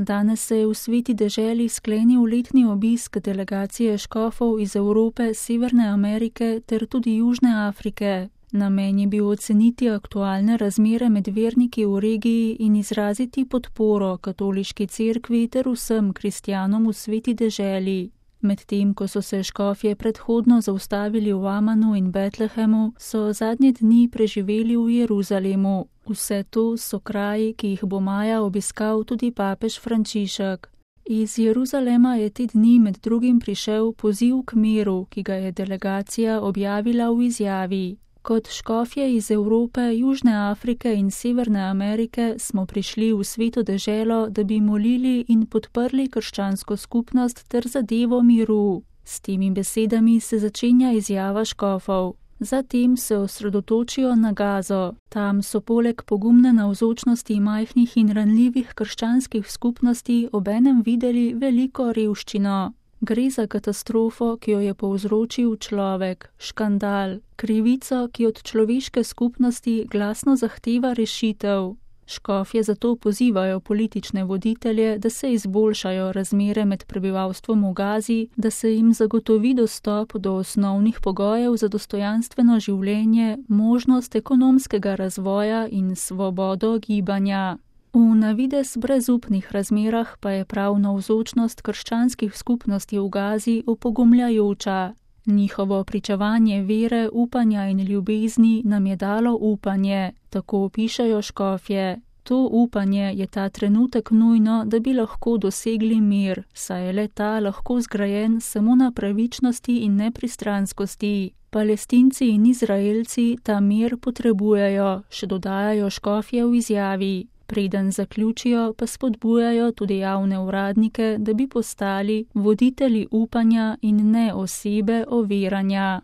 Danes se je v Sveti deželi sklenil letni obisk delegacije škofov iz Evrope, Severne Amerike ter tudi Južne Afrike. Namen je bil oceniti aktualne razmere med verniki v regiji in izraziti podporo katoliški cerkvi ter vsem kristjanom v Sveti deželi. Medtem ko so se škofje predhodno zaustavili v Amanu in Betlehemu, so zadnje dni preživeli v Jeruzalemu. Vse to so kraji, ki jih bo maja obiskal tudi papež Frančišek. Iz Jeruzalema je te dni med drugim prišel poziv k miru, ki ga je delegacija objavila v izjavi. Kot škofje iz Evrope, Južne Afrike in Severne Amerike smo prišli v Sveto deželo, da bi molili in podprli krščansko skupnost ter zadevo miru. S temi besedami se začenja izjava škofov. Zatem se osredotočijo na Gazo. Tam so poleg pogumne navzočnosti majhnih in ranljivih krščanskih skupnosti obenem videli veliko revščino. Gre za katastrofo, ki jo je povzročil človek, škandal, krivico, ki od človeške skupnosti glasno zahteva rešitev. Škofje zato pozivajo politične voditelje, da se izboljšajo razmere med prebivalstvom v Gazi, da se jim zagotovi dostop do osnovnih pogojev za dostojanstveno življenje, možnost ekonomskega razvoja in svobodo gibanja. V navidez brezupnih razmerah pa je prav navzočnost krščanskih skupnosti v Gazi opogumljajoča. Njihovo pričevanje vere, upanja in ljubezni nam je dalo upanje, tako pišejo škofje. To upanje je ta trenutek nujno, da bi lahko dosegli mir, saj je le ta lahko zgrajen samo na pravičnosti in nepristranskosti. Palestinci in Izraelci ta mir potrebujejo, še dodajajo škofje v izjavi. Preden zaključijo, pa spodbujajo tudi javne uradnike, da bi postali voditelji upanja in ne osebe overanja.